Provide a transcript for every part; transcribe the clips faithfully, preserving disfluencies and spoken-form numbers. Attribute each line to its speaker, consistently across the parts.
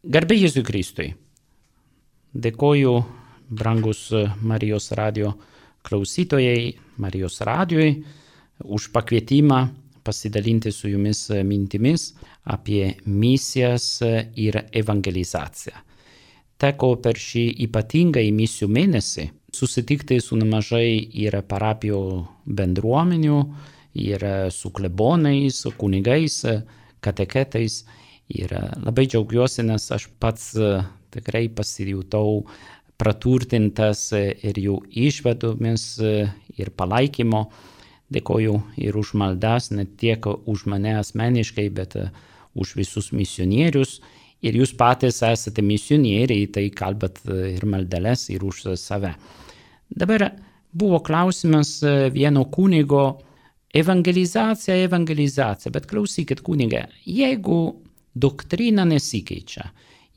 Speaker 1: Garbė Jėzui Kristui. Dėkoju, brangus Marijos radio klausytojai, Marijos radijui, už pakvietimą pasidalinti su jumis mintimis apie misijas ir evangelizaciją. Teko per šį ypatingąjį misijų mėnesį susitikti su nemažai ir parapijų bendruomenių, ir su klebonais, kunigais, kateketais. Ir labai džiaugiuosi, nes aš pats tikrai pasijutau praturtintas ir jų išvadomis ir palaikymo. Dėkoju ir už maldas, ne tiek už mane asmeniškai, bet už visus misionierius. Ir jūs patys esate misionieriai, tai kalbat ir maldeles, ir už save. Dabar buvo klausimas vieno kunigo: evangelizacija, evangelizacija. Bet klausykit, kunige, jeigu doktrina nesikeičia,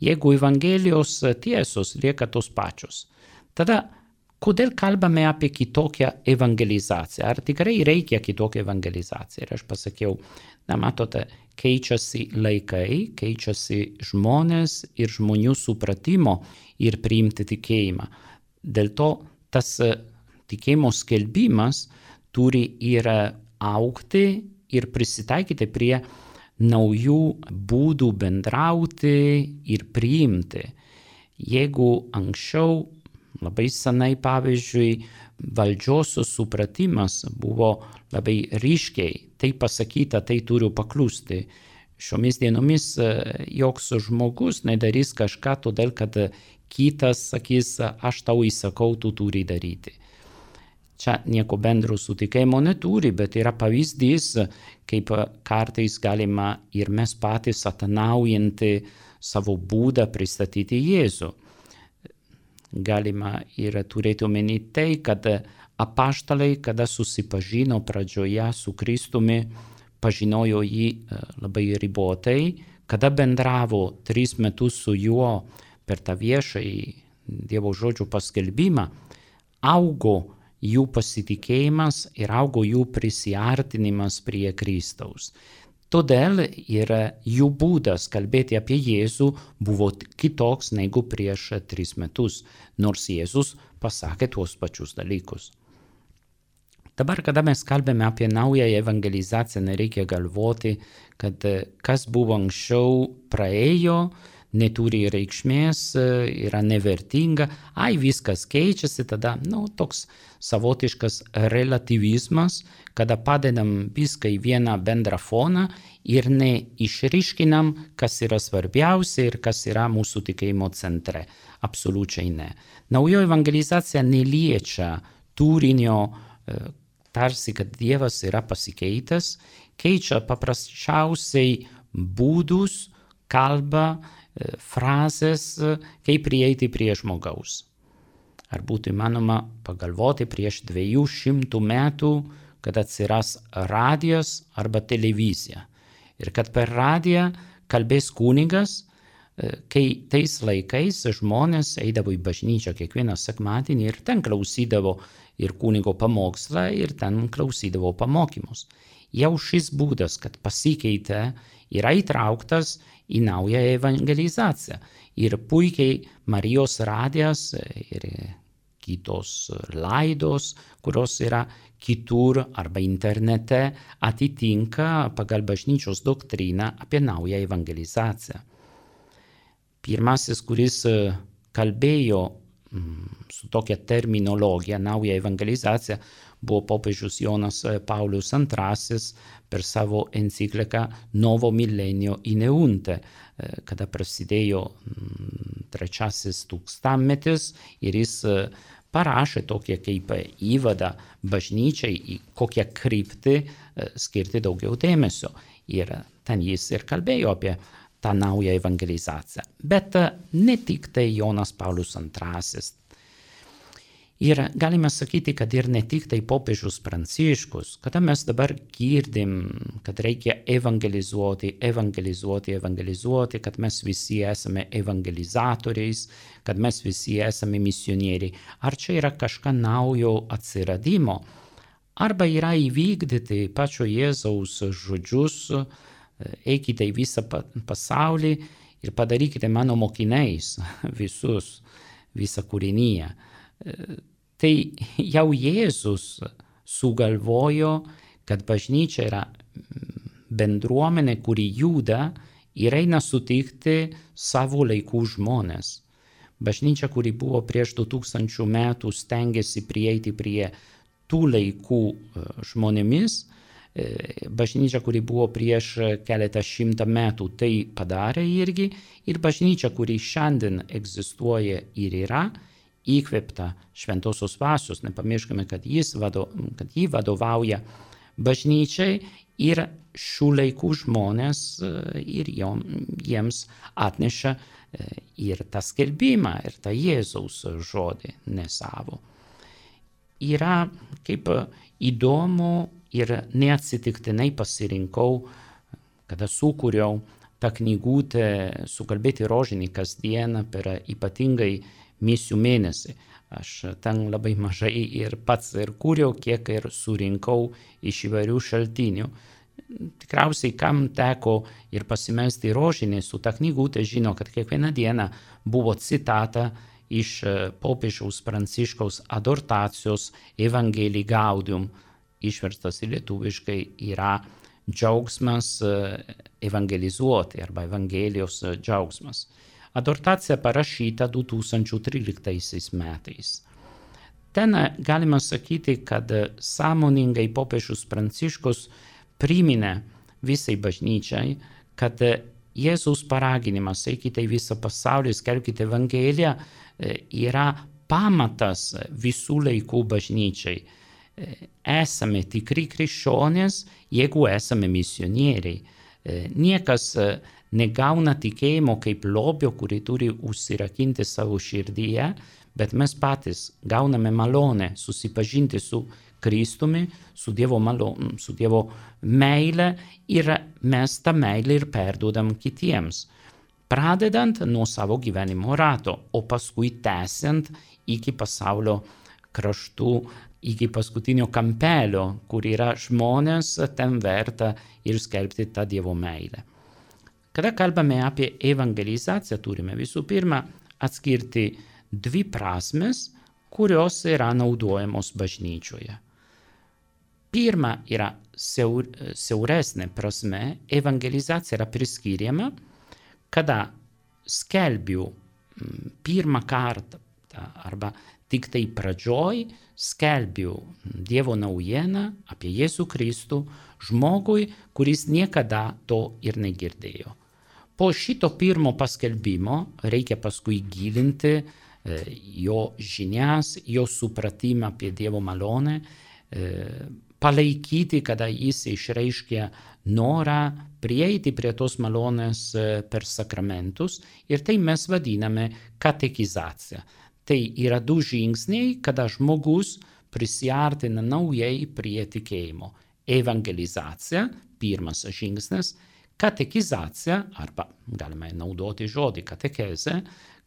Speaker 1: jeigu Evangelijos tiesos lieka tos pačios, tada kodėl kalbame apie kitokią evangelizaciją? Ar tikrai reikia kitokią evangelizaciją? Ir aš pasakiau, na matote, keičiasi laikai, keičiasi žmonės ir žmonių supratimo ir priimti tikėjimą. Dėl to tas tikėjimo skelbimas turi ir augti ir prisitaikyti prie naujų būdų bendrauti ir priimti. Jeigu anksčiau, labai senai pavyzdžiui, valdžios supratimas buvo labai ryškiai, tai pasakyta, tai turiu paklusti. Šiomis dienomis joks žmogus nedarys kažką todėl, kad kitas sakys, aš tau įsakau, tu turi daryti. Čia nieko bendro su tikėjimo neturi, bet yra pavyzdys, kaip kartais galima ir mes patys atnaujinti savo būdą pristatyti Jėzų. Galima ir turėti omeny tai, kad apaštalai, kada susipažino pradžioje su Kristumi, pažinojo jį labai ribotai, kada bendravo tris metus su juo per tą viešąjį Dievo žodžio paskelbimą, augo jų pasitikėjimas ir augo jų prisiartinimas prie Kristaus. Todėl ir jų būdas kalbėti apie Jėzų buvo kitoks negu prieš tris metus, nors Jėzus pasakė tuos pačius dalykus. Dabar, kada mes kalbame apie naują evangelizaciją, nereikia galvoti, kad kas buvo anksčiau praėjo, neturi reikšmės, yra nevertinga, ai viskas keičiasi, tada nu, toks savotiškas relativizmas, kada padedam viską į vieną bendrą foną ir neišryškinam, kas yra svarbiausia ir kas yra mūsų tikėjimo centre. Absoliučiai ne. Naujoji evangelizacija neliečia turinio, tarsi, kad Dievas yra pasikeitęs, keičia paprasčiausiai būdus, kalbą, frazės, kaip prieiti prie žmogaus. Ar būtų įmanoma pagalvoti prieš dviejų šimtų metų, kad atsiras radijas arba televizija. Ir kad per radiją kalbės kunigas, kai tais laikais žmonės eidavo į bažnyčią kiekvieną sekmadienį ir ten klausydavo ir kunigo pamokslą ir ten klausydavo pamokymus. Jau šis būdas, kad pasikeitė, yra įtrauktas į naują evangelizaciją. Ir puikiai Marijos radijas ir kitos laidos, kurios yra kitur arba internete, atitinka pagal bažnyčios doktriną apie naują evangelizaciją. Pirmasis, kuris kalbėjo su tokia terminologija nauja evangelizacija, buvo popiežius Jonas Paulius antrasis per savo encikliką Novo Millennio in Eunte, kada prasidėjo trečiasis tūkstantmetis ir jis parašė tokią kaip įvadą bažnyčiai, į kokią kryptį skirti daugiau dėmesio. Ir ten jis ir kalbėjo apie tą naują evangelizaciją. Bet ne tik tai Jonas Paulius antrasis. Ir galime sakyti, kad ir ne tik tai popiežius Pranciškus, kada mes dabar girdim, kad reikia evangelizuoti, evangelizuoti, evangelizuoti, kad mes visi esame evangelizatoriais, kad mes visi esame misionieriai. Ar čia yra kažką naujo atsiradimo? Arba yra įvykdyti pačio Jėzaus žodžius, eikite į visą pasaulį ir padarykite mano mokiniais visus, visą kūriniją. Tai jau Jėzus sugalvojo, kad bažnyčia yra bendruomenė, kuri juda ir eina sutikti savo laikų žmonės. Bažnyčia, kuri buvo prieš du tūkstančius metų, stengiasi prieiti prie tų laikų žmonėmis. Bažnyčia, kuri buvo prieš keletą šimtą metų, tai padarė irgi. Ir bažnyčia, kuri šiandien egzistuoja ir yra, įkvėpta šventosios dvasios. Nepamirškime, kad, jis vado, kad jį vadovauja bažnyčiai ir šių laikų žmonės ir jiems atneša ir tą skelbimą, ir tą Jėzaus žodį, ne savo. Yra kaip įdomu ir neatsitiktinai pasirinkau, kada sukūriau tą knygutę sukalbėti rožinį kasdieną per ypatingai misijų mėnesį. Aš ten labai mažai ir pats ir kūriau, kiek ir surinkau iš įvairių šaltinių. Tikriausiai, kam teko ir pasimelsti rožinį su ta knygutė, žino, kad kiekvieną dieną buvo citata iš popiežiaus Pranciškaus adortacijos Evangelii Gaudium, išverstas į lietuviškai yra džiaugsmas evangelizuoti arba Evangelijos džiaugsmas. Adortacija parašyta du tūkstančiai tryliktaisiais metais. Ten galima sakyti, kad sąmoningai popiežius Pranciškus priminė visai bažnyčiai, kad Jėzaus paraginimas eikite į visą pasaulį, skelbkite Evangeliją, yra pamatas visų laikų bažnyčiai. Esame tikri krikščionys, jeigu esame misionieriai. Niekas negauna tikėjimo kaip lobio, kurį turi užsirakinti savo širdyje, bet mes patys gauname malonę susipažinti su Kristumi, su Dievo, malon, su Dievo meile ir mes tą meilę ir perduodam kitiems. Pradedant nuo savo gyvenimo rato, o paskui tęsiant iki pasaulio kraštų, iki paskutinio kampelio, kur yra žmonės, ten verta ir skelbti tą Dievo meilę. Kada kalbame apie evangelizaciją, turime visų pirma atskirti dvi prasmes, kurios yra naudojamos bažnyčioje. Pirma yra siaur, siauresnė prasme, evangelizacija yra priskiriama, kada skelbiu pirmą kartą arba tik tai pradžioj skelbiu Dievo naujieną apie Jėzų Kristų žmogui, kuris niekada to ir negirdėjo. Po šito pirmo paskelbimo reikia paskui gilinti jo žinias, jo supratimą apie Dievo malonę, palaikyti, kada jis išreiškia norą prieiti prie tos malonės per sakramentus, ir tai mes vadiname katekizacija. Tai yra du žingsniai, kada žmogus prisiartina naujai prie tikėjimo. Evangelizacija, pirmas žingsnis, katekizacija, arba galime naudoti žodį katekeze,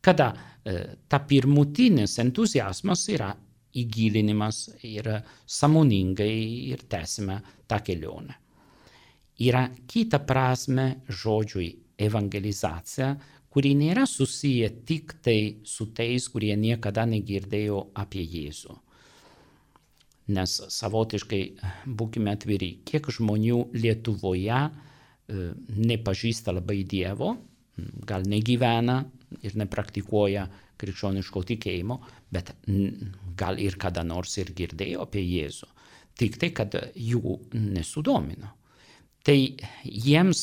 Speaker 1: kada e, ta pirmutinis entuziasmas yra įgilinimas ir sąmoningai ir tęsime tą kelionę. Yra kita prasme žodžiui evangelizacija, kuri nėra susiję tik tai su tais, kurie niekada negirdėjo apie Jėzų. Nes savotiškai, būkime atviri, kiek žmonių Lietuvoje e, nepažįsta labai Dievo, gal negyvena ir nepraktikuoja krikščioniško tikėjimo, bet gal ir kada nors ir girdėjo apie Jėzų. Tik tai, kad jų nesudomino. Tai jiems,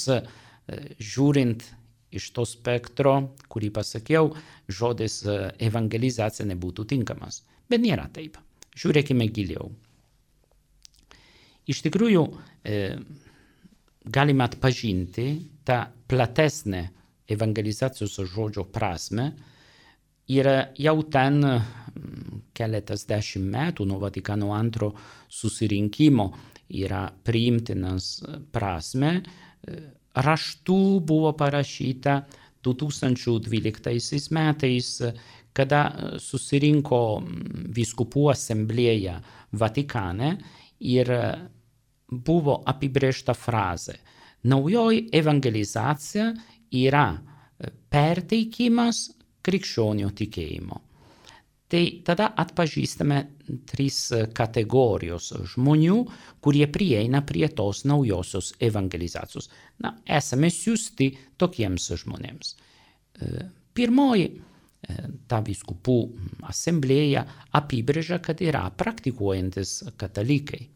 Speaker 1: žiūrint iš to spektro, kurį pasakiau, žodis evangelizacija nebūtų tinkamas. Bet nėra taip. Žiūrėkime giliau. Iš tikrųjų, e, galime atpažinti tą platesnę evangelizacijos žodžio prasme ir jau ten keletas dešimt metų nuo Vatikano antro susirinkimo yra priimtinas prasme. Raštų buvo parašyta du tūkstančiai dvyliktaisiais metais, kada susirinko vyskupų asamblėja Vatikane ir buvo apibrėžta frazė. Naujoji evangelizacija yra perteikimas krikščionio tikėjimo. Tai tada atpažįstame trys kategorijos žmonių, kurie prieina prie tos naujosios evangelizacijos. Na, esame siųsti tokiems žmonėms. Pirmoji, ta vyskupų asamblėja apibrėžia, kad yra praktikuojantis katalikai.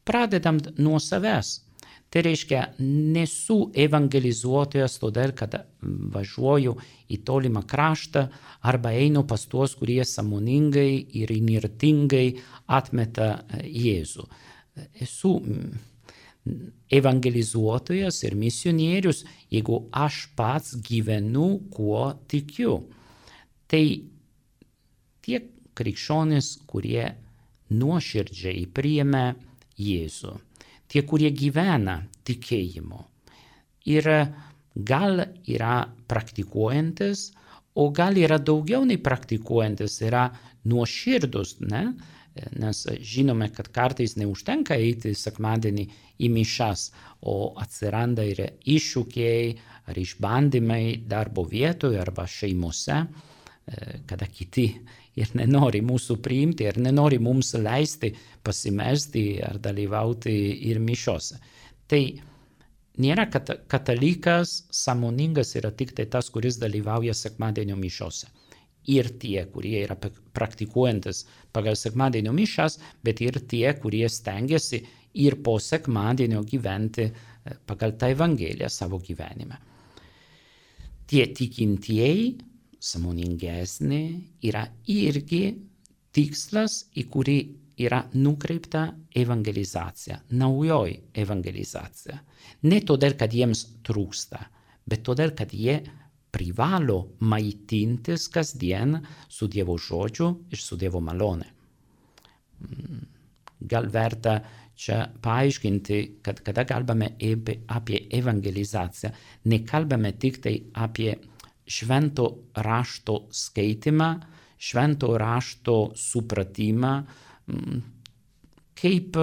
Speaker 1: Pradedant nuo savęs. Tai reiškia, nesu evangelizuotojas todėl, kad važiuoju į tolimą kraštą arba einu pas tuos, kurie sąmoningai ir įnirtingai atmeta Jėzų. Esu evangelizuotojas ir misionierius, jeigu aš pats gyvenu, kuo tikiu. Tai tie krikščionys, kurie nuoširdžiai priėmė Jėzų. Tie, kurie gyvena tikėjimu. Ir gal yra praktikuojantis, o gal yra daugiau nei praktikuojantis, yra nuoširdus, ne? Nes žinome, kad kartais neužtenka eiti sekmadienį į mišas, o atsiranda ir iššūkiai ar išbandymai darbo vietoje arba šeimose, kada kiti ir nenori mūsų priimti, ir nenori mums leisti pasimelsti ar dalyvauti ir mišiose. Tai nėra, kad katalikas sąmoningas yra tik tai tas, kuris dalyvauja sekmadienio mišiose. Ir tie, kurie yra praktikuojantis pagal sekmadienio mišas, bet ir tie, kurie stengiasi ir po sekmadienio gyventi pagal tą evangeliją savo gyvenime. Tie tikintieji sąmoningesnė yra irgi tikslas, į kurį yra nukreipta evangelizacija, naujoji evangelizacija. Ne todėl, kad jiems trūksta, bet todėl, kad jie privalo maitintis kasdien su Dievo žodžiu ir su Dievo malone. Gal verta čia paaiškinti, kad kada kalbame apie evangelizaciją, nekalbame tik tai apie švento rašto skaitimą, švento rašto supratimą, kaip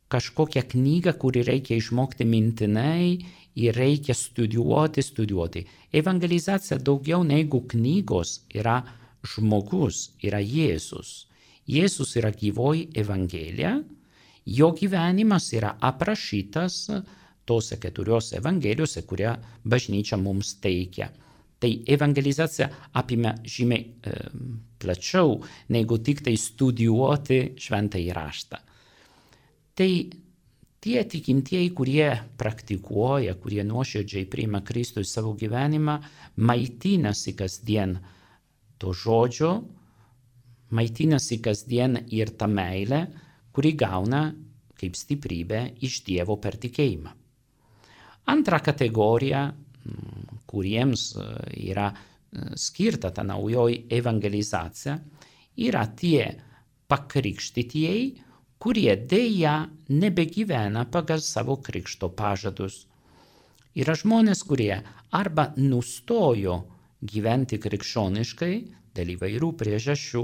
Speaker 1: kažkokią knygą, kurį reikia išmokti mintinai ir reikia studijuoti, studijuoti. Evangelizacija daugiau negu knygos yra žmogus, yra Jėzus. Jėzus yra gyvoji evangelija, jo gyvenimas yra aprašytas tose keturiose evangelijose, kurią bažnyčia mums teikia. Tai evangelizacija apima žymiai e, plačiau, negu tik tai studijuoti šventąjį raštą. Tai tie tikintieji, kurie praktikuoja, kurie nuoširdžiai priima Kristų į savo gyvenimą, maitinasi kasdien to žodžio, maitinasi kasdien ir tą meilę, kuri gauna kaip stiprybę iš Dievo per tikėjimą. Antra kategorija, kuriems yra skirta ta naujoji evangelizacija, yra tie pakrikštytieji, kurie dėja nebegyvena pagal savo krikšto pažadus. Yra žmonės, kurie arba nustojo gyventi krikščioniškai dėl įvairių priežasčių,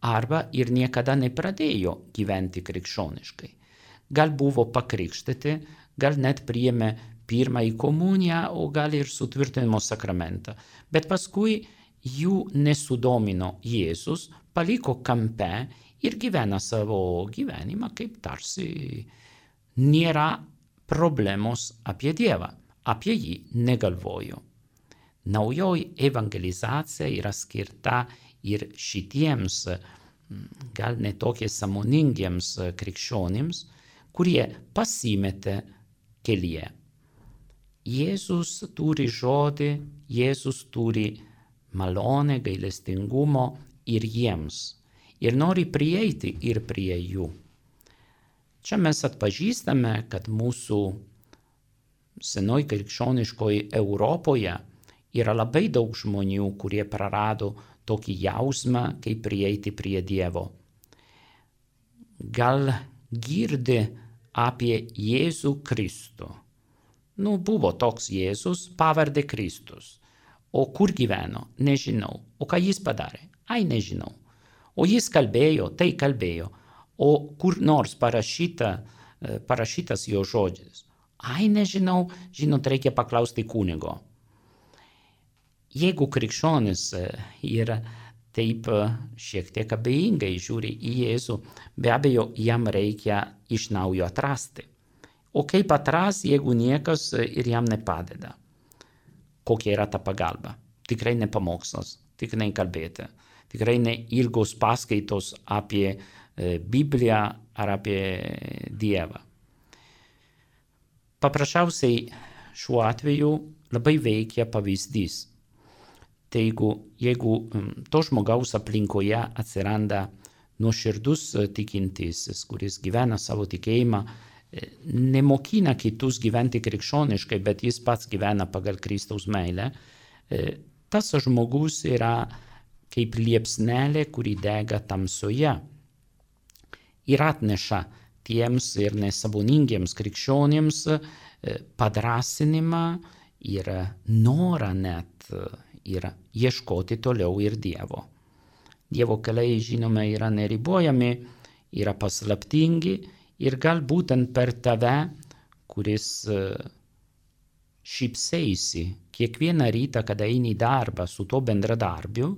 Speaker 1: arba ir niekada nepradėjo gyventi krikščioniškai. Gal buvo pakrikštyti, gal net priėmė pirmąjį komuniją, o gal ir sutvirtinimo sakramentą. Bet paskui jų nesudomino Jėzus, paliko kampe ir gyvena savo gyvenimą, kaip tarsi nėra problemos apie Dievą, apie jį negalvojo. Naujoji evangelizacija yra skirta ir šitiems, gal netokie sąmoningiems krikščionims, kurie pasimetė kelyje. Jėzus turi žodį, Jėzus turi malonę, gailestingumo ir jiems. Ir nori prieiti ir prie jų. Čia mes atpažįstame, kad mūsų senoj krikščioniškoj Europoje yra labai daug žmonių, kurie prarado tokį jausmą, kaip prieiti prie Dievo. Gal girdi apie Jėzų Kristų. Nu, buvo toks Jėzus, pavardė Kristus. O kur gyveno? Nežinau. O ką jis padarė? Ai, nežinau. O jis kalbėjo, tai kalbėjo. O kur nors parašyta, parašytas jo žodžis? Ai, nežinau, žinot, reikia paklausti kunigo. jeigu krikščionis yra taip šiek tiek abejingai žiūri į Jėzų, be abejo, jam reikia iš naujo atrasti. O kaip atras, jeigu niekas ir jam nepadeda? Kokia yra ta pagalba? Tikrai ne pamokslas, tikrai kalbėti, tikrai ne ilgos paskaitos apie Bibliją ar apie Dievą. Paprasčiausiai šiuo atveju labai veikia pavyzdys. Tai jeigu, jeigu to žmogaus aplinkoje atsiranda nuoširdus tikintysis, kuris gyvena savo tikėjimą, nemokina kitus gyventi krikščioniškai, bet jis pats gyvena pagal Kristaus meilę, tas žmogus yra kaip liepsnelė, kuri dega tamsoje ir atneša tiems ir nesąmoningiems krikščionims padrasinimą ir norą net ir ieškoti toliau ir Dievo. Dievo keliai, žinome, yra neribojami, yra paslaptingi ir gal būtent per tave, kuris šypseisi kiekvieną rytą, kada eini į darbą su to bendradarbiu,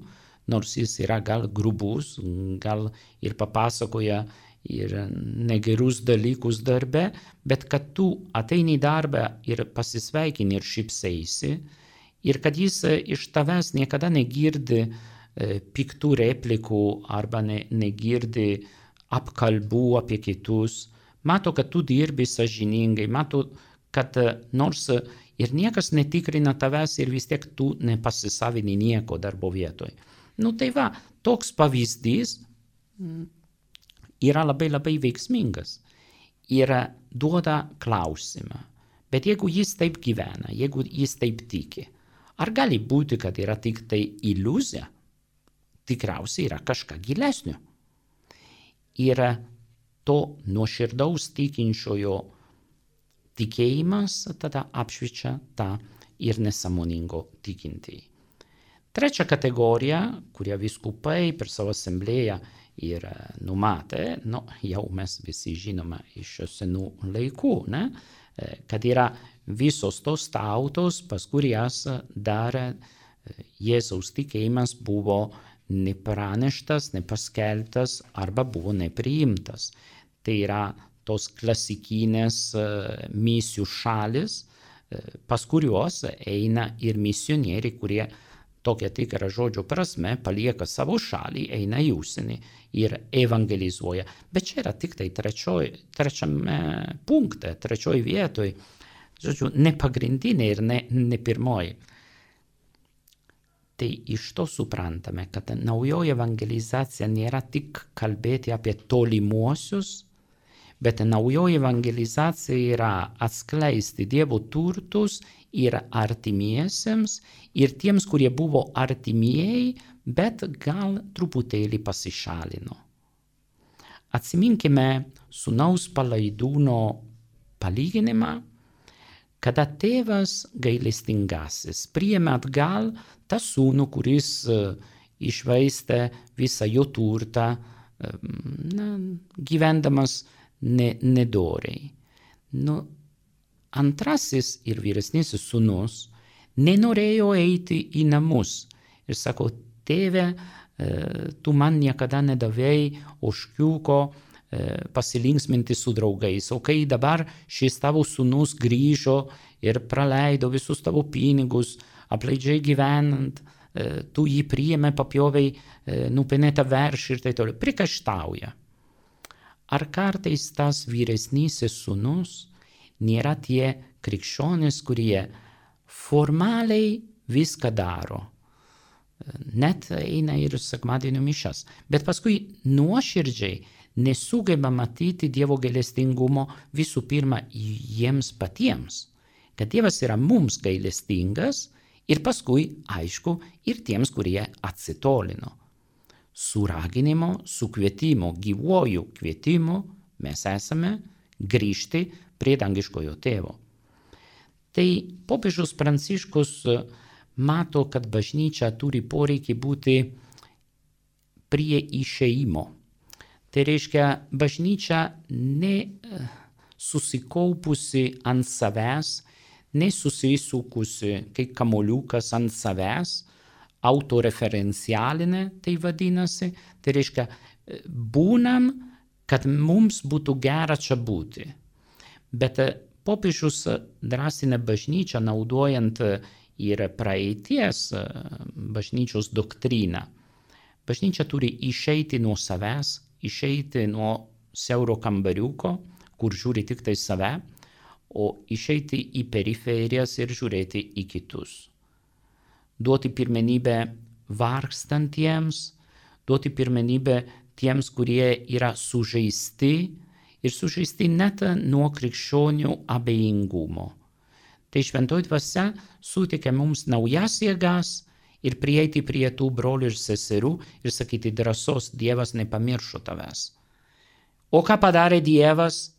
Speaker 1: nors jis yra gal grubus, gal ir papasakoja ir negerus dalykus darbe, bet kad tu ateini į darbą ir pasisveikini ir šypseisi, ir kad jis iš tavęs niekada negirdi piktų replikų arba ne, negirdi apkalbų apie kitus, mato, kad tu dirbi sąžiningai, mato, kad nors ir niekas netikrina tavęs ir vis tiek tu nepasisavini nieko darbo vietoje. Nu tai va, toks pavyzdys yra labai labai veiksmingas ir duoda klausimą. Bet jeigu jis taip gyvena, jeigu jis taip tiki, ar gali būti, kad yra tik tai iliuzija? Tikriausiai yra kažką gilesnio. Ir to nuoširdaus tikinčiojo tikėjimas tada apšviečia tą ir nesąmoningo tikintįjį. Trečia kategorija, kurią vyskupai per savo asamblėją ir numatė, nu, jau mes visi žinome iš senų laikų, ne? Kad yra visos tos tautos, pas kurias dar Jėzaus tikėjimas buvo nepraneštas, nepaskelbtas arba buvo nepriimtas. Tai yra tos klasikinės misijų šalis, pas kuriuos eina ir misionieriai, kurie tokia tikra žodžio prasme palieka savo šalį, eina į užsienį ir evangelizuoja. Bet čia yra tik tai trečioj, trečiame punkte, trečioj vietoj, žodžiu, ne pagrindinė ir ne, ne pirmoji. Tai iš to suprantame, kad naujoji evangelizacija nėra tik kalbėti apie tolimuosius, bet naujoji evangelizacija yra atskleisti Dievo turtus ir artimiesiems, ir tiems, kurie buvo artimieji, bet gal truputėlį pasišalino. Atsiminkime sūnaus palaidūno palyginimą, kada tėvas gailestingasis priėmė atgal tą sūnų, kuris išvaistė visą jo turtą, na, gyvendamas ne, nedoriai. Nu, antrasis ir vyresnysis sūnus nenorėjo eiti į namus ir sako, tėve, tu man niekada nedavei ožkiuko pasilinksminti su draugais, o kai dabar šis tavo sūnus grįžo ir praleido visus tavo pinigus, apleidžiai gyvenant, tu jį priėmė, papjovei nupenėtą veršį ir tai toliau, prikaištauja. Ar kartais tas vyresnysis sūnus nėra tie krikščionys, kurie formaliai viską daro, net eina ir sekmadienio mišias, bet paskui nuoširdžiai nesugeba matyti Dievo gailestingumo visų pirma jiems patiems, kad Dievas yra mums gailestingas ir paskui, aišku, ir tiems, kurie atsitolino. Su raginimo, su kvietimu, gyvuoju kvietimu mes esame grįžti prie dangiškojo tėvo. Tai popiežius Pranciškus mato, kad bažnyčia turi poreikį būti prie išėjimo. Tai reiškia, bažnyčia ne susikaupusi ant savęs, nesusisukusi, kaip kamoliukas ant savęs, autoreferencialinė, tai vadinasi, tai reiškia, būnam, kad mums būtų gera čia būti. Bet popiežius drąsina bažnyčią, naudojant ir praeities bažnyčios doktriną. Bažnyčia turi išeiti nuo savęs, išeiti nuo siauro kambariuko, kur žiūri tik tai save, o išeiti į periferijas ir žiūrėti į kitus. Duoti pirmenybę vargstantiems, duoti pirmenybę tiems, kurie yra sužeisti ir sužeisti net nuo krikščionių abejingumo. Tai šventoji dvasia suteikia mums naujas jėgas ir prieiti prie tų brolių ir seserų ir sakyti drąsos, Dievas nepamiršo tavęs. O ką padarė Dievas?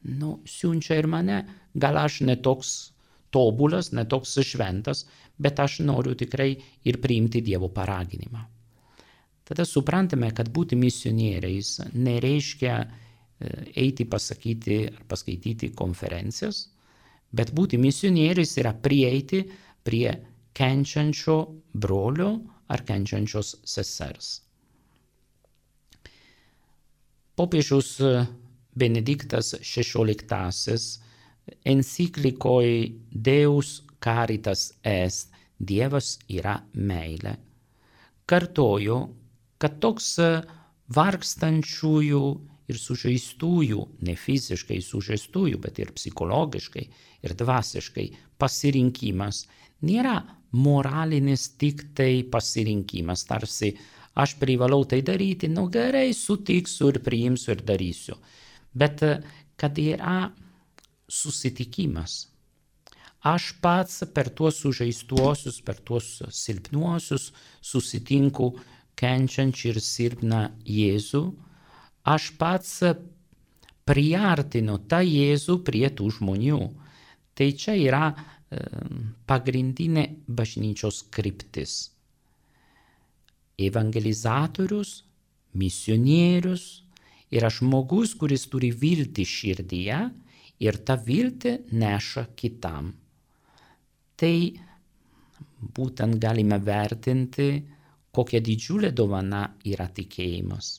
Speaker 1: Nu, siunčia ir mane. Gal aš netoks tobulas, netoks šventas, bet aš noriu tikrai ir priimti Dievo paraginimą. Tada suprantame, kad būti misionieriais nereiškia eiti pasakyti ar paskaityti konferencijas, bet būti misionieriais yra prieiti prie kenčiančio brolio ar kenčiančios sesers. Popiežius Benediktas šešioliktasis enciklikoj Deus Caritas Est, Dievas yra meilė, kartojo, kad toks vargstančiųjų ir sužeistųjų, ne fiziškai sužeistųjų, bet ir psichologiškai ir dvasiškai pasirinkimas nėra moralinis tik tai pasirinkimas, tarsi aš privalau tai daryti, nu gerai, sutiksiu ir priimsiu ir darysiu. Bet kad yra susitikimas. Aš pats per tuos sužeistuosius, per tuos silpnuosius susitinku kenčiančią ir silpną Jėzų. Aš pats priartinu tą Jėzų prie tų žmonių. Tai čia yra e, pagrindinė bažnyčios kryptis. Evangelizatorius, misionierius yra žmogus, kuris turi viltį širdyje ir tą viltį neša kitam. Tai būtent galime vertinti, kokia didžiulė dovana yra tikėjimas.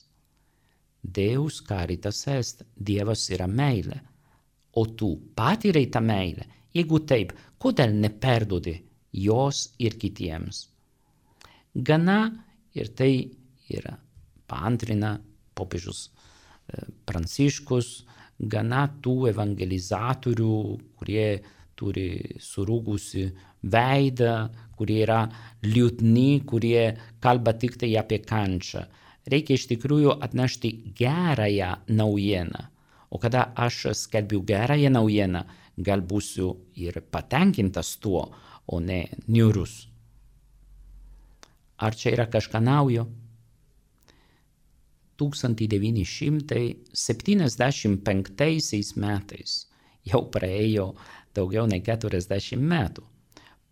Speaker 1: Deus Caritas Est, Dievas yra meilė, o tu patyrei tą meilę. Jeigu taip, kodėl neperdodi jos ir kitiems? Gana, ir tai yra paantrina popiežius Pranciškus, gana tų evangelizatorių, kurie turi surūgusi veidą, kurie yra liūdni, kurie kalba tik tai apie kančią. Reikia iš tikrųjų atnešti gerąją naujieną. O kada aš skelbiu gerąją naujieną, gal būsiu ir patenkintas tuo, o ne niūrus. Ar čia yra kažką naujo? tūkstantis devyni šimtai septyniasdešimt penktaisiais metais, jau praėjo daugiau nei keturiasdešimt metų,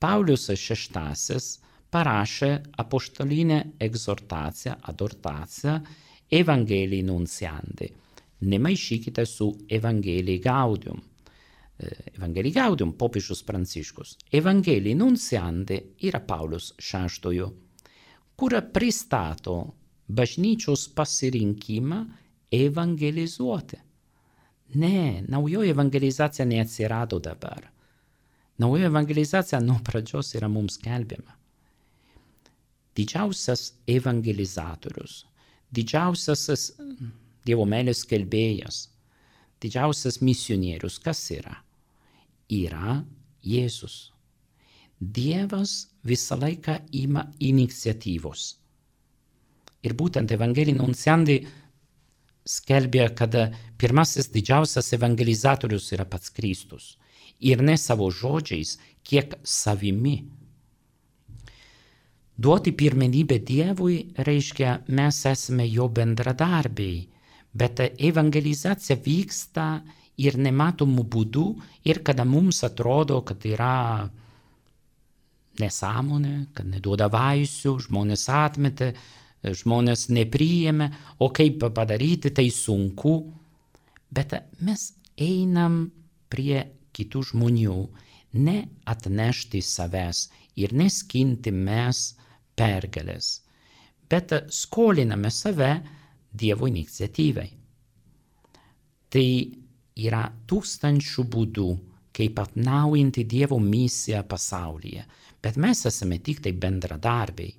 Speaker 1: Paulius šeštasis parašė apoštolinę egzortaciją, adortaciją Evangelii Nunciandi. Nemaišykite su Evangelii Gaudium. Evangelii Gaudium popiežius Pranciškus. Evangelii Nunciandi yra Paulius šeštojo, kur pristato bažnyčios pasirinkimą evangelizuoti. Ne, naujoji evangelizacija neatsirado dabar. Naujoji evangelizacija nuo pradžios yra mums skelbiama. Didžiausias evangelizatorius, didžiausias Dievo meilės skelbėjas, didžiausias misionierius, kas yra? Yra Jėzus. Dievas visą laiką ima iniciatyvos. Ir būtent Evangelii Nunciandi skelbia, kad pirmasis didžiausias evangelizatorius yra pats Kristus. Ir ne savo žodžiais, kiek savimi. Duoti pirmenybę Dievui reiškia, mes esame jo bendradarbiai, bet evangelizacija vyksta ir nematomų būdų, ir kada mums atrodo, kad yra nesąmonė, kad neduoda vaisių, žmonės atmetė, žmonės nepriėmė, o kaip padaryti, tai sunku. Bet mes einam prie kitų žmonių, ne atnešti savęs ir neskinti mes pergalės, bet skoliname save Dievo iniciatyvai. Tai yra tūkstančių būdų, kaip atnaujinti Dievo misiją pasaulyje, bet mes esame tik tai bendradarbiai.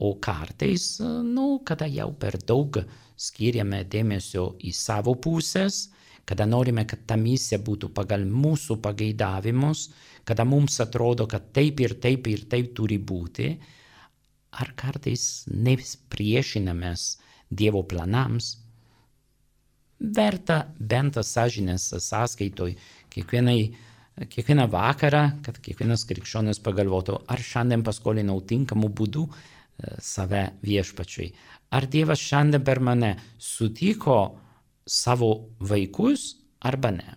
Speaker 1: O kartais, nu, kada jau per daug skiriame dėmesio į savo pusės, kada norime, kad ta misija būtų pagal mūsų pageidavimus, kada mums atrodo, kad taip ir taip ir taip turi būti, ar kartais nepriešinamės Dievo planams, verta bent sąžinės sąskaitoj kiekvienai, kiekvieną vakarą, kad kiekvienas krikščionis pagalvotų, ar šiandien paskolinau tinkamų būdų save viešpačiui. Ar Dievas šiandien per mane sutiko savo vaikus arba ne.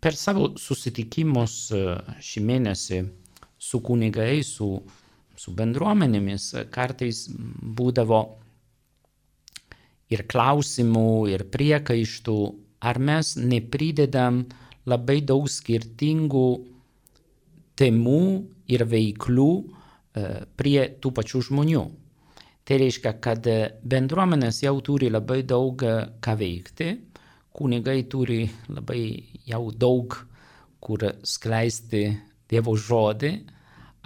Speaker 1: Per savo susitikimus šį mėnesį su kunigai, su, su bendruomenėmis kartais būdavo ir klausimų, ir priekaištų, ar mes nepridedam labai daug skirtingų temų ir veiklų prie tų pačių žmonių. Tai reiškia, kad bendruomenės jau turi labai daug ką veikti, kunigai turi labai jau daug kur skleisti Dievo žodį,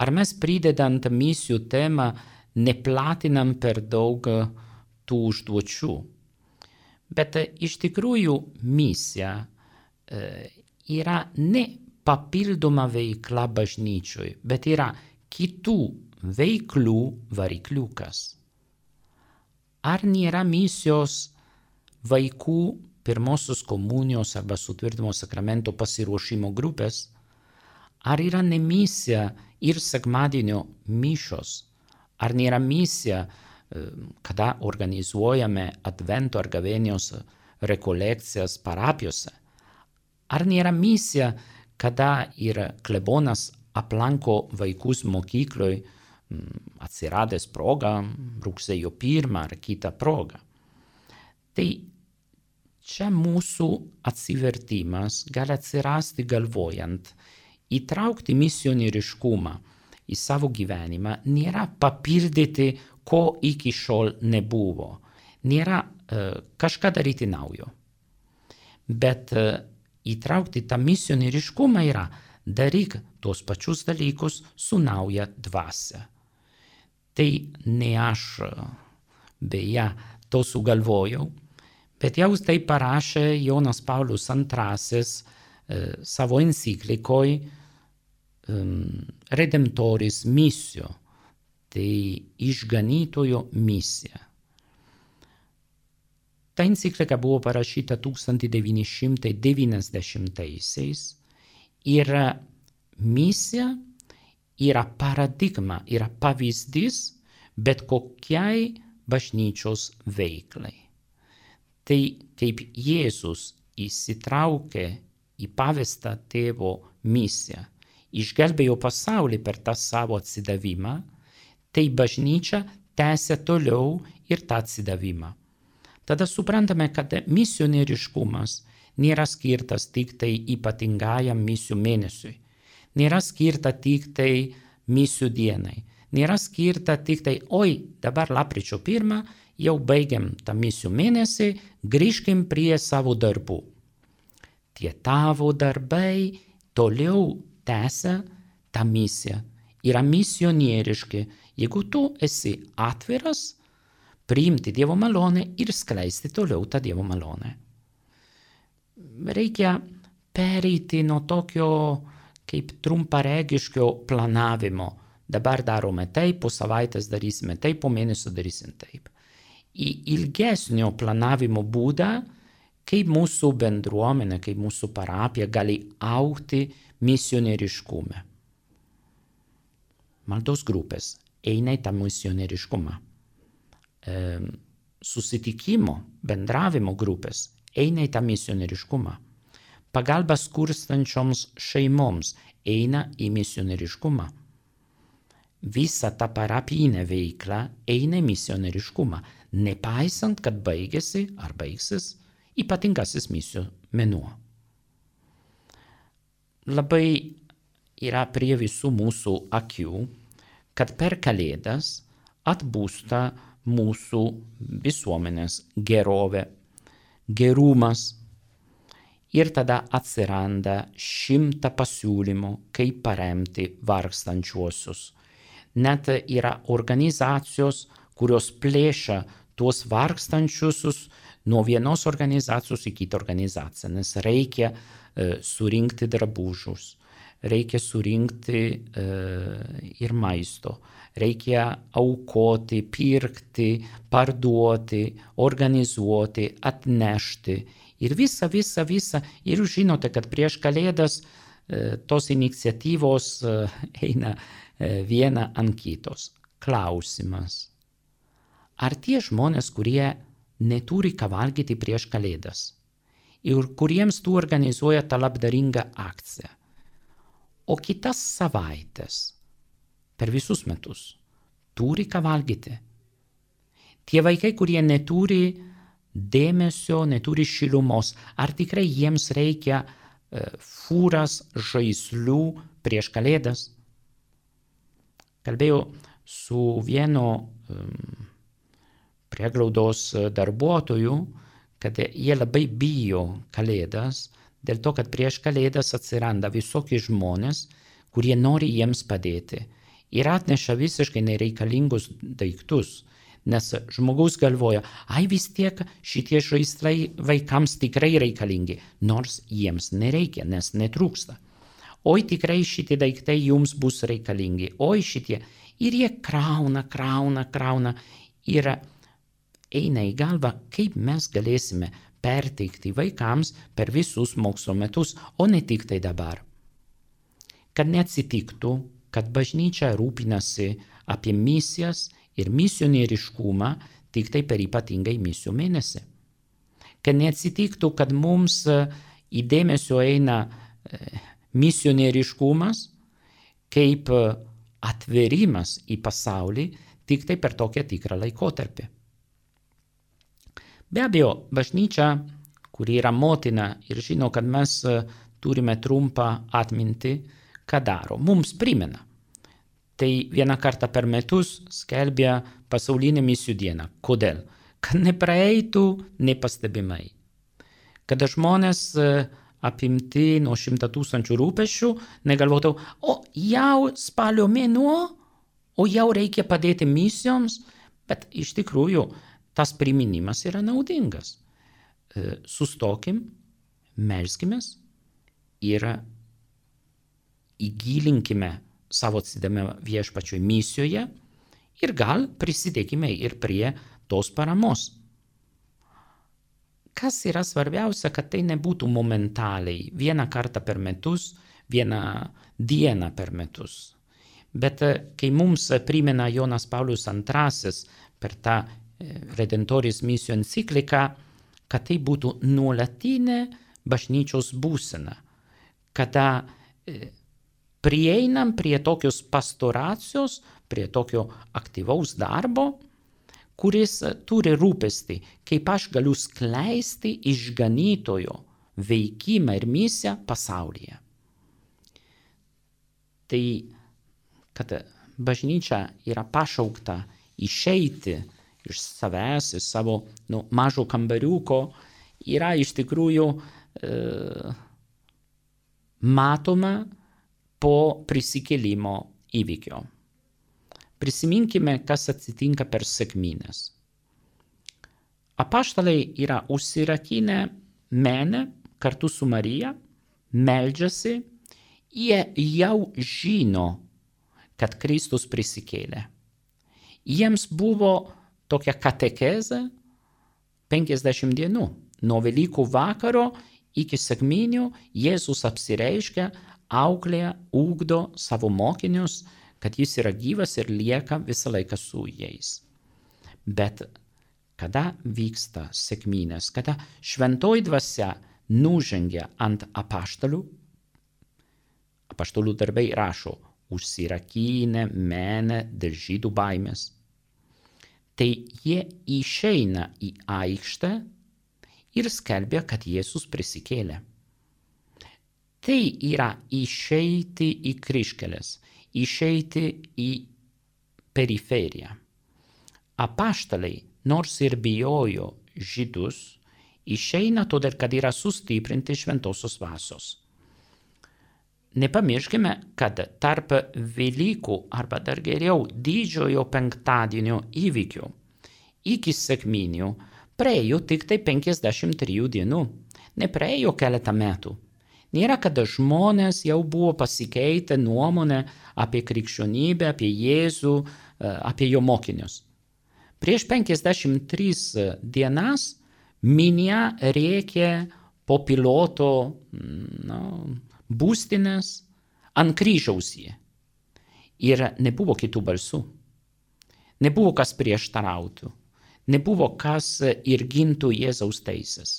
Speaker 1: ar mes pridedant misijų temą neplatinam per daug tų užduočių. Bet iš tikrųjų misija yra ne papildoma veikla bažnyčioj, bet yra kitų veiklų varikliukas. Ar nėra misijos vaikų pirmosios komunijos arba sutvirtinimo sakramento pasiruošimo grupės? Ar yra ne misija ir sekmadienio mišios? Ar nėra misija, kada organizuojame advento ar gavėnios rekolekcijas parapijose? Ar nėra misija, kada ir klebonas aplanko vaikus mokykloj atsiradęs progą, rugsėjo pirmą ar kitą progą? Tai čia mūsų atsivertimas gali atsirasti galvojant, įtraukti misionieriškumą į savo gyvenimą nėra papildyti, ko iki šiol nebuvo, nėra uh, kažką daryti naujo. Bet uh, įtraukti tą misionieriškumą yra daryk tos pačius dalykus su nauja dvasia. Tai ne aš beje to sugalvojau, bet jau tai parašė Jonas Paulius antrasis uh, savo enciklikoj um, Redemptoris misio, tai išganytojo misija. Ta enciklika buvo parašyta tūkstantis devyni šimtai devyniasdešimtaisiais ir misija yra paradigma, yra pavyzdys bet kokiai bažnyčios veiklai. Tai kaip Jėzus įsitraukė į pavestą tėvo misiją, išgelbėjo pasaulį per tą savo atsidavimą, tai bažnyčia tęsia toliau ir tą atsidavimą. Tada suprantame, kad misionieriškumas nėra skirtas tik tai ypatingajam misijų mėnesiui, nėra skirta tik tai misijų dienai, nėra skirta tik tai, oi, dabar lapkričio pirmą, jau baigiam tą misijų mėnesį, grįžkim prie savo darbų. Tie tavo darbai toliau tęsia tą misiją, yra misionieriški, jeigu tu esi atviras, priimti Dievo malonę ir skleisti toliau tą Dievo malonę. Reikia pereiti nuo tokio kaip trumparegiškio planavimo. Dabar darome taip, po savaitės darysime taip, po mėnesio darysim taip. Į ilgesnio planavimo būdą, kaip mūsų bendruomenė, kaip mūsų parapija gali augti misionieriškume. Maldos grupės eina į tą misionieriškumą. E, susitikimo, bendravimo grupės eina į tą misionieriškumą. Pagalba skurstančioms šeimoms eina į misionieriškumą. Visa ta parapijinė veikla eina į misionieriškumą, nepaisant, kad baigėsi ar baigsis ypatingasis misijų mėnuo. Labai yra prie visų mūsų akių, kad per Kalėdas atbūsta mūsų visuomenės gerovė, gerumas. Ir tada atsiranda šimta pasiūlymų, kaip paremti vargstančiuosius. Net yra organizacijos, kurios plėšia tuos vargstančiusius nuo vienos organizacijos į kitą organizaciją, nes reikia e, surinkti drabužius, reikia surinkti e, ir maisto, reikia aukoti, pirkti, parduoti, organizuoti, atnešti. Ir visa, visa, visa. Ir jūs žinote, kad prieš Kalėdas e, tos iniciatyvos e, eina e, viena ant kitos. Klausimas. Ar tie žmonės, kurie neturi ką valgyti prieš Kalėdas ir kuriems tu organizuoja tą labdaringą akciją, o kitas savaitės per visus metus turi ką valgyti? Tie vaikai, kurie neturi dėmesio, neturi šilumos, ar tikrai jiems reikia e, fūras žaislų prieš Kalėdas? Kalbėjau su vienu um, prieglaudos darbuotoju, kad jie labai bijo Kalėdas, dėl to, kad prieš Kalėdas atsiranda visokie žmonės, kurie nori jiems padėti ir atneša visiškai nereikalingus daiktus. Nes žmogus galvoja, ai vis tiek šitie žaislai vaikams tikrai reikalingi, nors jiems nereikia, nes netrūksta. Oi tikrai šitie daiktai jums bus reikalingi, oi šitie. Ir jie krauna, krauna, krauna. Ir eina į galvą, kaip mes galėsime perteikti vaikams per visus mokslo metus, o ne tik tai dabar. Kad neatsitiktų, kad bažnyčia rūpinasi apie misijas ir misionieriškumą tik tai per ypatingai misijų mėnesį. Kad neatsitiktų, kad mums į dėmesio eina misionieriškumas kaip atverimas į pasaulį tik tai per tokią tikrą laikotarpį. Be abejo, bažnyčia, kuri yra motina ir žino, kad mes turime trumpą atmintį, ką daro, mums primena. Tai vieną kartą per metus skelbia pasaulinę misijų dieną. Kodėl? Kad nepraeitų nepastebimai. Kad žmonės apimti nuo šimto tūkstančių rūpesčių negalvotų, o jau spalio mėnuo, o jau reikia padėti misijoms, bet iš tikrųjų tas priminimas yra naudingas. Sustokim, melskimės ir įgilinkime savo atsidavimą viešpačiui misijoje ir gal prisidėkime ir prie tos paramos. Kas yra svarbiausia, kad tai nebūtų momentaliai, vieną kartą per metus, vieną dieną per metus. Bet kai mums primena Jonas Paulius antrasis per tą Redemptoris misijų encikliką, kad tai būtų nuolatinė bažnyčios būsena, kada prieinam prie tokios pastoracijos, prie tokio aktyvaus darbo, kuris turi rūpestį, kaip aš galiu skleisti išganytojo veikimą ir misiją pasaulyje. Tai, kad bažnyčia yra pašaukta išeiti iš savęs, iš savo nu, mažo kambariuko, yra iš tikrųjų e, matoma po prisikėlimo įvykio. Prisiminkime, kas atsitinka per sekmines. Apaštalai yra užsirakinę menę kartu su Marija, meldžiasi, jie jau žino, kad Kristus prisikėlė. Jiems buvo tokia katekezė penkiasdešimt dienų. Nuo Velykų vakaro iki sekminių Jėzus apsireiškia, auklėja, ugdo savo mokinius, kad jis yra gyvas ir lieka visą laiką su jais. Bet kada vyksta sekminės, kada šventoji dvasia nužengia ant apaštalų, apaštalų darbai rašo, užsirakinę menę dėl žydų baimės. Tai jie išeina į aikštę ir skelbė, kad Jėzus prisikėlė. Tai yra išeiti į kryžkeles, išeiti į periferiją. Apaštalai, nors ir bijojo žydus, išeina todėl, kad yra sustiprinti šventosios dvasios. Nepamirškime, kad tarp Velykų arba dar geriau didžiojo penktadienio įvykių iki sekminių praėjo tik tai penkiasdešimt trijų dienų, nepraėjo keletą metų. Nėra, kad žmonės jau buvo pasikeitę nuomonę apie krikščionybę, apie Jėzų, apie jo mokinius. Prieš penkiasdešimt tris dienas minia rėkė po piloto no, būstinės ant kryžiaus jį. Ir nebuvo kitų balsų. Nebuvo kas prieštarautų. Nebuvo kas ir gintų Jėzaus teisės.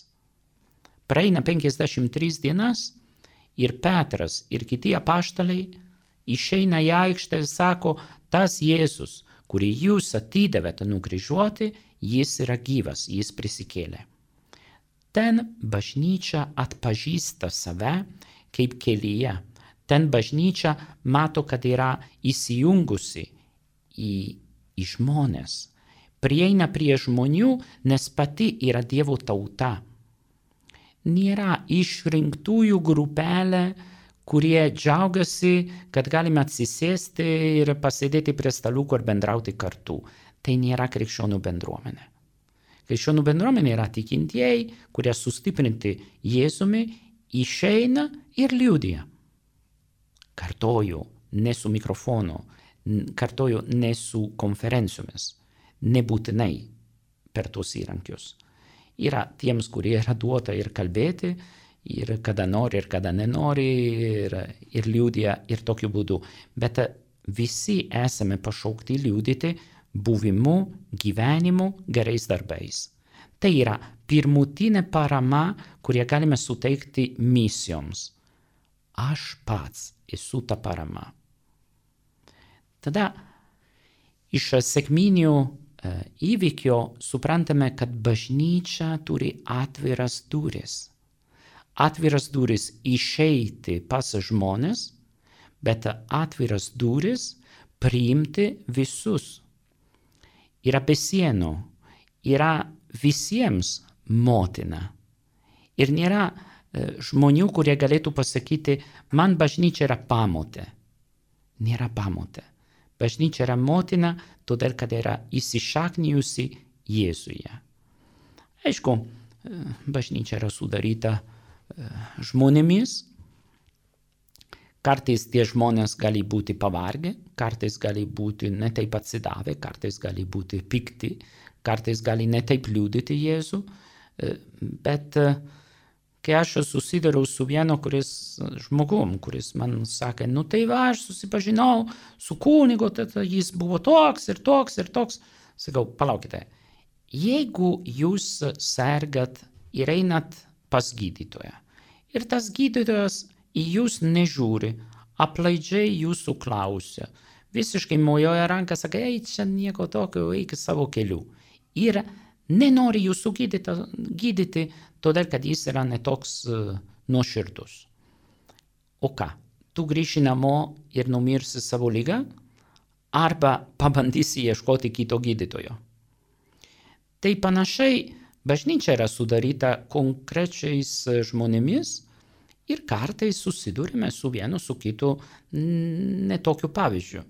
Speaker 1: Praeina penkiasdešimt tris dienas ir Petras ir kiti apaštalai išeina į aikštę ir sako, tas Jėzus, kurį jūs atidavėte nukryžiuoti, jis yra gyvas, jis prisikėlė. Ten bažnyčia atpažįsta save kaip kelyje. Ten bažnyčia mato, kad yra įsijungusi į, į žmonės. Prieina prie žmonių, nes pati yra Dievo tauta. Nėra išrinktųjų grupelė, kurie džiaugiasi, kad galime atsisėsti ir pasėdėti prie staliukų ir bendrauti kartu. Tai nėra krikščionių bendruomenė. Krikščionių bendruomenė yra tikintieji, kurie sustiprinti Jėzumi, išeina ir liudija. Kartoju, ne su mikrofonu, kartoju, ne su konferencijomis, nebūtinai per tos įrankius. Yra tiems, kurie yra duota ir kalbėti, ir kada nori, ir kada nenori, ir, ir liudija ir tokiu būdu. Bet visi esame pašaukti liudyti buvimu, gyvenimu, gerais darbais. Tai yra pirmutinė parama, kurią galime suteikti misijoms. Aš pats esu ta parama. Tada iš sekminių įvykio suprantame, kad bažnyčia turi atviras duris. Atviras duris išeiti pas žmonės, bet atviras duris priimti visus. Yra be sienų, yra visiems motina. Ir nėra žmonių, kurie galėtų pasakyti, man bažnyčia yra pamotė. Nėra pamotė. Bažnyčia yra motina, todėl, kad yra įsišaknijusi Jėzuje. Aišku, bažnyčia yra sudaryta žmonėmis. Kartais tie žmonės gali būti pavargę, kartais gali būti netaip atsidavę, kartais gali būti pikti, kartais gali netaip liudyti Jėzų. Bet kai aš susidariau su vienu kuris žmogum, kuris man sakė, nu tai va, aš susipažinau su kunigu, tada jis buvo toks ir toks ir toks. Sakau, palaukite, jeigu jūs sergat ir einat pas gydytoją, ir tas gydytojas į jūs nežiūri, aplaidžiai jūsų klausia, visiškai mojuoja ranką, sakai, ei, čia nieko tokio, eik savo keliu. Ir nenori jūsų gydyti, gydyti todėl, kad jis yra netoks uh, nuoširdus. O ką? Tu grįši namo ir numirsi savo ligą? Arba pabandysi ieškoti kito gydytojo? Tai panašiai bažnyčia yra sudaryta konkrečiais žmonėmis ir kartais susidurime su vienu, su kitu netokiu pavyzdžiu.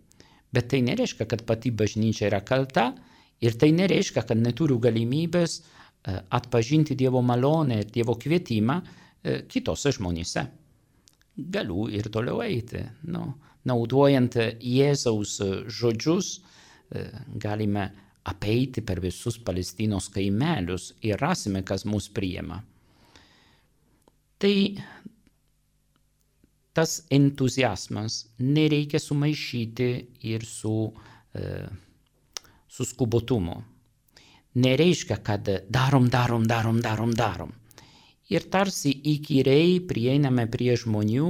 Speaker 1: Bet tai nereiškia, kad pati bažnyčia yra kalta ir tai nereiškia, kad neturiu galimybės atpažinti Dievo malonę ir Dievo kvietimą kitose žmonėse. Galiu ir toliau eiti. Nu, naudojant Jėzaus žodžius, galime apeiti per visus Palestinos kaimelius ir rasime, kas mus priima. Tai tas entuziazmas nereikia sumaišyti ir su, su skubotumu. Nereiškia, kad darom, darom, darom, darom, darom. Ir tarsi įkyriai prieiname prie žmonių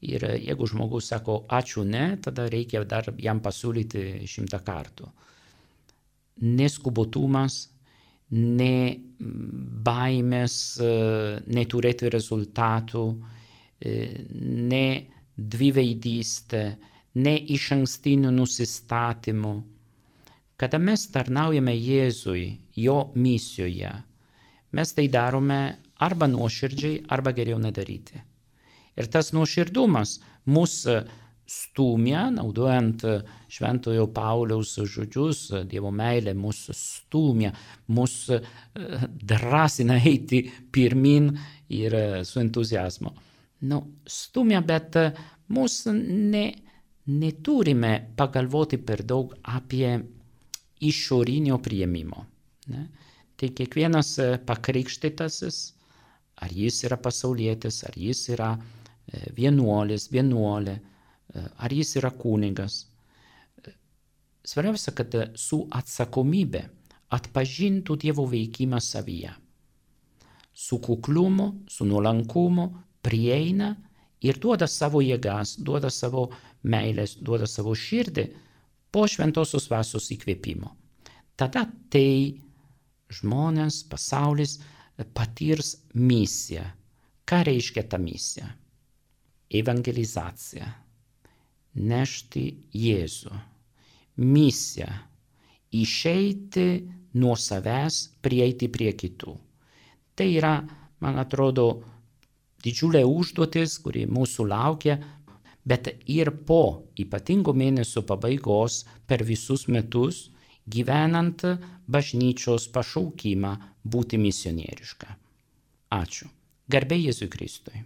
Speaker 1: ir jeigu žmogus sako ačiū ne, tada reikia dar jam pasiūlyti šimtą kartų. Neskubotumas, ne baimės neturėti rezultatų, ne dviveidystė, ne išankstinių nusistatymų. Kada mes tarnaujame Jėzui, jo misijoje, mes tai darome arba nuoširdžiai, arba geriau nedaryti. Ir tas nuoširdumas mus stumia, naudojant Šventojo Pauliaus žodžius, Dievo meilė mus stumia, mus drąsina eiti pirmin ir su entuziazmu. Nu, stumia, bet mus ne, neturime pagalvoti per daug apie išorinio priėmimo. Ne? Tai kiekvienas pakrikštytasis, ar jis yra pasaulietis, ar jis yra vienuolis, vienuolė, ar jis yra kunigas. Svarbiausia, kad su atsakomybė atpažintų Dievo veikimą savyje. Su kuklumu, su nuolankumu prieina ir duoda savo jėgas, duoda savo meilės, duoda savo širdį po šventosios dvasios įkvėpimo. Tada tai žmonės, pasaulis patirs misiją. Ką reiškia ta misija? Evangelizacija. Nešti Jėzų. Misija. Išeiti nuo savęs, prieiti prie kitų. Tai yra, man atrodo, didžiulė užduotis, kuri mūsų laukia, bet ir po ypatingo mėnesio pabaigos per visus metus gyvenant bažnyčios pašaukimą būti misionieriška. Ačiū. Garbė Jėzui Kristui.